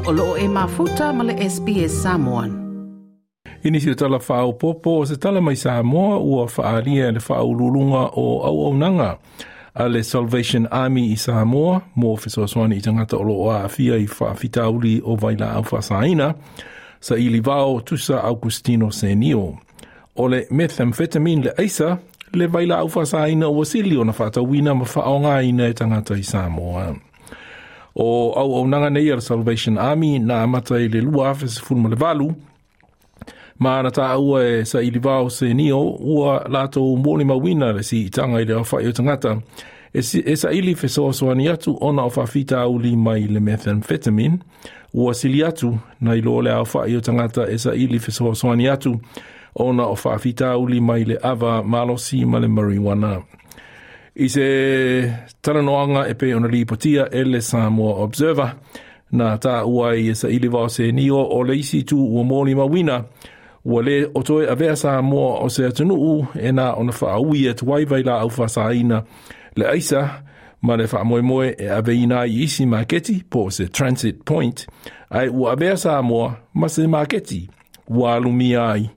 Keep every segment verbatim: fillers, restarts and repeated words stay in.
O loo e mafuta ma le S B S Samoan. Inisi o tala whaopopo o se tala mai Samoa ua whaalia le whaululunga o auaunaga a le Salvation Army i Samoa mo fesoasoani i tangata o loo aafia i whaafitauli o vailaau faasaina sa ili vao tusa Augustino Senio. O le methamphetamine le aisa le vailaau faasaina ua sili ona whaatauina ma whaongaina e tangata i Samoa. O auaunaga nei a le Salvation Army na amata i le lua afe sefulu ma le valu, ma na tāua e sa ili vao Senio ua lātou mōli mauina le si itanga i le awhai o tangata e, si, e sa ili fesoasoani atu ona o whawhitauli mai le methamphetamine ua sili atu na ilo le awhai o tangata e sa ili fesoasoani atu ona o whawhitauli mai le ava malosi ma le marijuana. I se talanoanga e pe ona lipotia e le Samoa Observer na tāua i e sa ili vao Senio o le isi tu ua mōli mauina ua le o toe avea Samoa o se atunuu e nā ona whaaui e tuai vai la au whasaina le aisa ma le whaamoemoe e aveina i isi maketi po se transit point ai ua avea Samoa ma se maketi ua alumia ai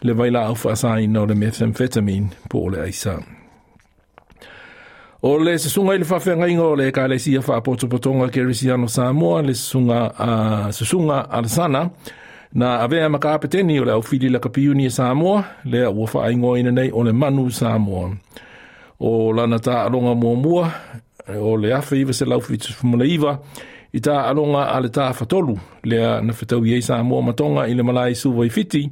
le vai la au whasaina o le methamphetamine po o le aisa. O le susunga i le whawhengainga o le ekalesia whaapotopotonga Kerisiano Samoa le susunga, uh, susunga Alesana na avea makapeteni o le aufili la kapiuni e Samoa lea ua whaingoina nei o le Manu Samoa. O lana tā alonga muamua o le afe iwa se laufitu iwa i tā alonga a le tā whatolu lea na whetau i Samoa matonga i le malai suva i fiti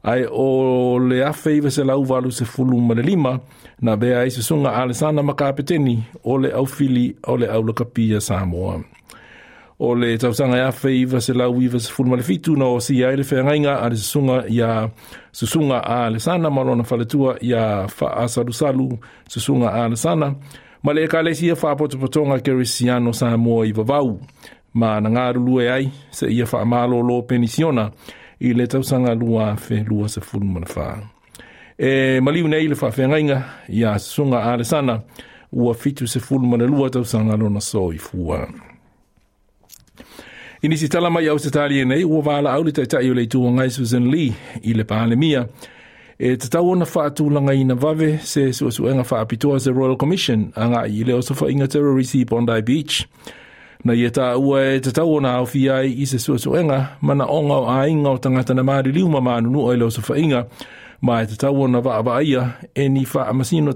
ai o le afe iwa se lauvalu se fulu ma le lima na bea ai susunga Alesana makapeteni o le aufili o le aulakapia Samoa. O le tausanga ia wheiwa se lau iwa se fulu ma le fitu na o si ai le whangainga a le susunga ia susunga a le sana malona whaletua ia whaasalusalu susunga a le sana ma le ekalesia whaapotopotonga Kerisiano Samoa i vavau ma na ngārulue ai se ia whaamalolo penisiona i le tausanga lua afe lua se fulu ma le wha. E maliu nei le whawhengainga ia susunga a le sana ua fitu se fulu ma le lua tausanga lona so i fua. Inisi tala mai au se tali nei, ua wāla au le taitai o le itua ngai Susan Lee i le Palemia. E te tau ona whaatulanga ina vave se suasuenga whaapitoa se Royal Commission a ngā i le osofaiga terrorisi Bondi Beach. Na ia tā ua e te tau ona au fiai i se suasuenga mana onga o ainga o tangata na maariliu ma maanunua i le osofaiga ma e te tau ona vaavaaia e ni whaamasino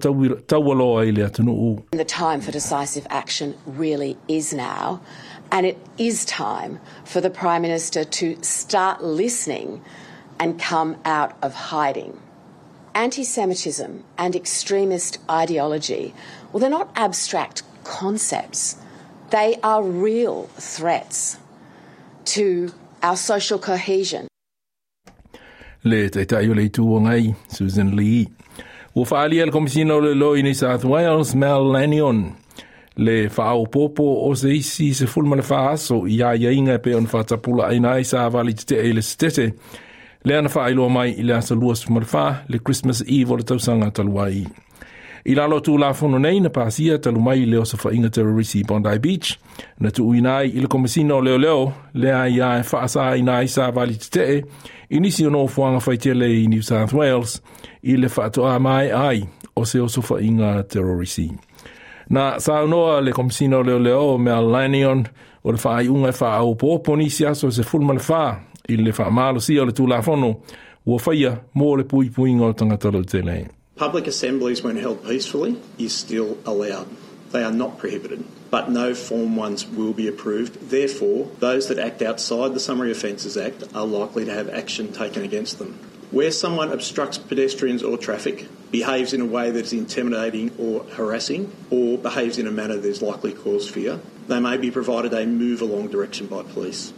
taualoa i le atunuu. The time for decisive action really is now. And it is time for the Prime Minister to start listening and come out of hiding. Anti-Semitism and extremist ideology, well, they're not abstract concepts. They are real threats to our social cohesion. Le taitai o le itua ngai, Susan Lee. Ua whaalia le komisina o le loi New South Wales, Mel Lanyon. Le whaopopo o se isi se fulu ma le whaaso i a iainga e pe ona whatapula aina ai sa wali te te e le setete. Le ana whaailoa mai i le asa lua ma le wha le Christmas Eve o le tausanga taluai. I lalo tū lafono nei na pāsia talu mai i le osofaiga terrorisi Bondi Beach. Na tuuina ai i le komisina o leo leo le ai a e whaasa ina ai sa wali te te i nisi o nofoanga whaitele i New South Wales i le whaatoa mai ai o se osofaiga terrorisi. Na saunoa le komisina o leo leo Mel Lanyon o le whaaiunga e whaaupopo nisi aso se fulu ma le wha i le whaamalosia o le tūlafono ua whaia mō le puipuinga o tangata lautele. Public assemblies when held peacefully is still allowed. They are not prohibited, but no form ones will be approved. Therefore, those that act outside the Summary Offences Act are likely to have action taken against them. Where someone obstructs pedestrians or traffic, behaves in a way that is intimidating or harassing, or behaves in a manner that is likely to cause fear, they may be provided a move along direction by police.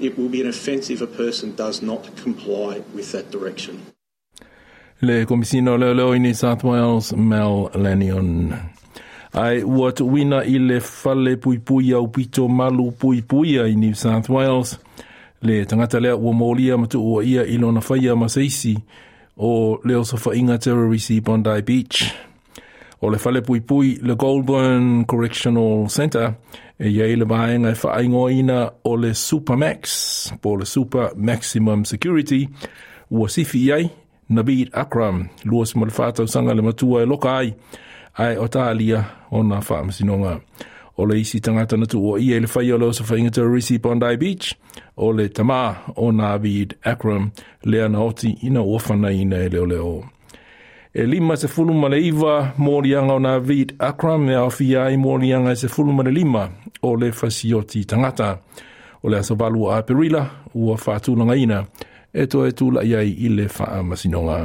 It will be an offence if a person does not comply with that direction. Le komisina o leo leo i New South Wales, Mel Lanyon. Ai ua tuuina i le fale puipui au pito malu puipuia i New South Wales. Le tangata lea ua mōlia ma tuua ia i lona whaia ma seisi o le osofaiga terrorisi Bondi Beach. O le fale puipui le Goulburn Correctional Centre e i ai le vaega e faaigoaina o le Supermax po le Super Maximum Security ua sifi i ai Naveed Akram, lua ma le fa tausaga le matua e loka ai ae o talia ona faamasinoga. O le isi tagata na tuuaia i le faia o le osofaiga terrorisi Bondi Beach, o le tamā o Naveed Akram, lea na oti ina ua fanaina e leoleo. E lima sefulu ma le iva moliaga o Naveed Akram e aofia ai moliaga e sefulu ma le lima o le fasioti tagata. O le aso valu o Aperila ua faatulagaina e toe tula'i ai i le faamasinoga.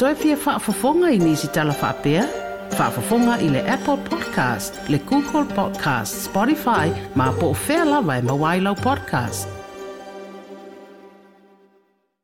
Toe fia faafofoga i nisi tala faapea? Faafofoga i le Apple Podcast, le Google Podcast, Spotify, ma po o fea lava e maua ai lau podcast.